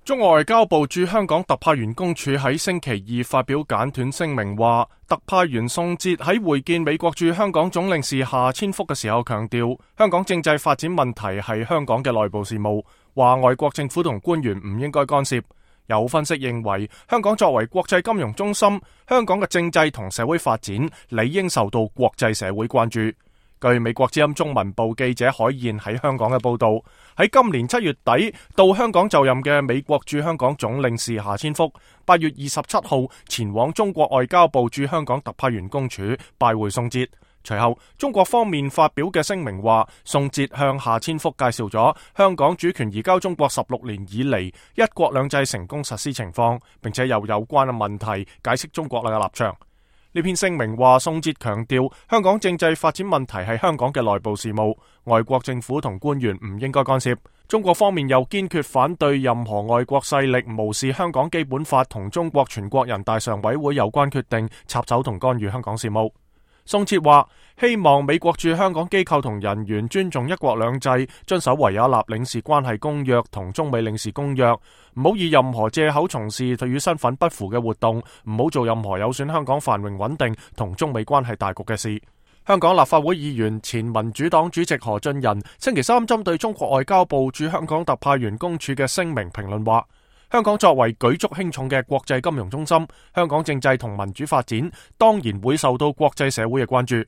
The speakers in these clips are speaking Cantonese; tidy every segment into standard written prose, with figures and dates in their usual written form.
中國外交部駐香港特派員公署喺星期二發表簡短聲明話，特派員宋哲喺會見美國駐香港總領事夏千福嘅時候強調，香港政制發展問題係香港嘅內部事務，話外國政府同官員唔應該干涉。有分析認為，香港作為國際金融中心，香港嘅政制同社會發展理應受到國際社會關注。據美國之音中文部記者海燕喺香港嘅報道，喺今年7月底到香港就任嘅美國駐香港總領事夏千福，8月27號前往中國外交部駐香港特派員公署拜會宋哲。隨後，中國方面發表嘅聲明話，宋哲向夏千福介紹咗香港主權移交中國16年以嚟一國兩制成功實施情況，並且有關嘅問題解釋中國嘅立場。呢篇聲明話，宋哲強調香港政制發展問題係香港嘅內部事務，外國政府同官員唔應該干涉。中國方面又堅決反對任何外國勢力無視香港基本法同中國全國人大常委會有關決定，插手同干預香港事務。宋哲話，希望美國駐香港機構同人員尊重一國兩制，遵守維也納領事關係公約同中美領事公約，唔好以任何借口從事與身份不符嘅活動，唔好做任何有損香港繁榮穩定同中美關係大局嘅事。香港立法會議員前民主黨主席何俊仁星期三針對中國外交部駐香港特派員公署嘅聲明評論話，香港作為舉足輕重嘅國際金融中心，香港政制同民主發展當然會受到國際社會嘅關注。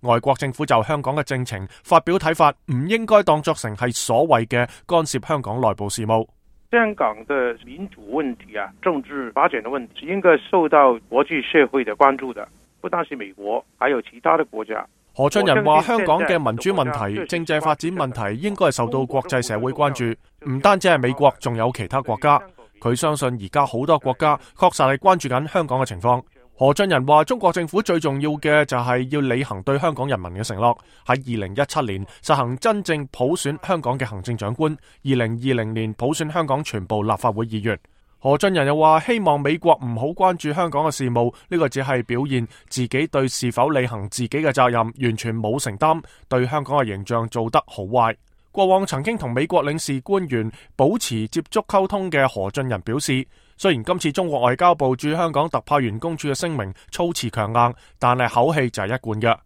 外國政府就香港嘅政情發表睇法，唔應該當作成係所謂嘅干涉香港內部事務。香港的民主問題啊，政治發展的問題，應該受到國際社會的關注的，不單是美國，還有其他的國家。何俊仁話，香港嘅民主問題、政制發展問題應該係受到國際社會關注，唔單止係美國，仲有其他國家。佢相信而家好多國家確實係關注緊香港嘅情況。何俊仁話，中國政府最重要嘅就係要履行對香港人民嘅承諾，喺2017年實行真正普選香港嘅行政長官，2020年普選香港全部立法會議員。何俊仁又話，希望美國唔好關注香港嘅事務，呢個只係表現自己對是否履行自己嘅責任完全冇承擔，對香港嘅形象做得好壞。過往曾經同美國領事官員保持接觸溝通嘅何俊仁表示，雖然今次中國外交部駐香港特派員公署嘅聲明措辭強硬，但係口氣就係一貫嘅。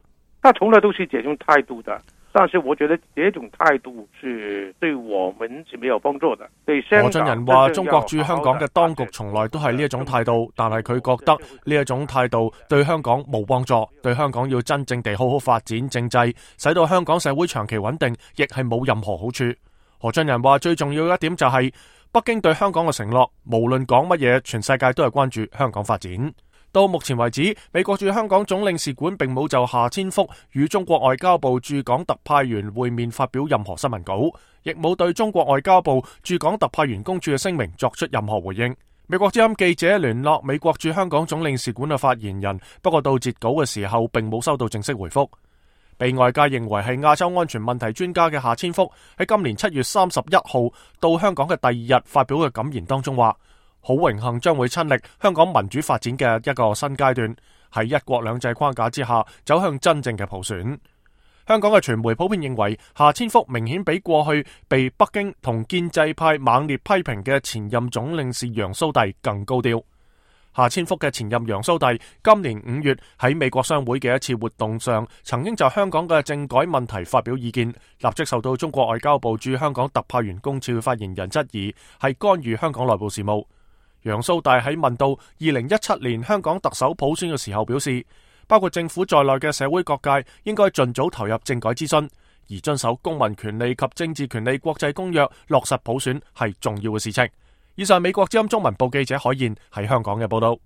他從來都是這種態度的，但是我覺得這種態度是對我們是沒有幫助的。何俊仁話，中國駐香港嘅當局從來都係呢一種態度，但係佢覺得呢一種態度對香港冇幫助，對香港要真正地好好發展政制，使到香港社會長期穩定，亦係冇任何好處。何俊仁話，最重要一點就係北京對香港嘅承諾，無論講乜嘢，全世界都係關注香港發展。到目前為止，美國駐香港總領事館並冇就夏千福與中國外交部駐港特派員會面發表任何新聞稿，亦冇對中國外交部駐港特派員公署嘅聲明作出任何回應。美國之音記者聯絡美國駐香港總領事館嘅發言人，不過到截稿嘅時候並冇收到正式回覆。被外界認為係亞洲安全問題專家嘅夏千福喺今年7月31號到香港嘅第二日發表嘅感言當中話，好榮幸將會親歷香港民主發展嘅一個新階段，喺一國兩制框架之下走向真正嘅普選。香港嘅傳媒普遍認為，夏千福明顯比過去被北京同建制派猛烈批評嘅前任總領事楊蘇棣更高調。夏千福嘅前任楊蘇棣今年5月喺美國商會嘅一次活動上，曾經就香港嘅政改問題發表意見，立即受到中國外交部駐香港特派員公署發言人質疑係干預香港內部事務。楊蘇棣喺問到2017年香港特首普選嘅時候表示，包括政府在內嘅社會各界應該盡早投入政改諮詢，而遵守公民權利及政治權利國際公約，落實普選係重要嘅事情。以上美國之音中文部記者海燕喺香港嘅報道。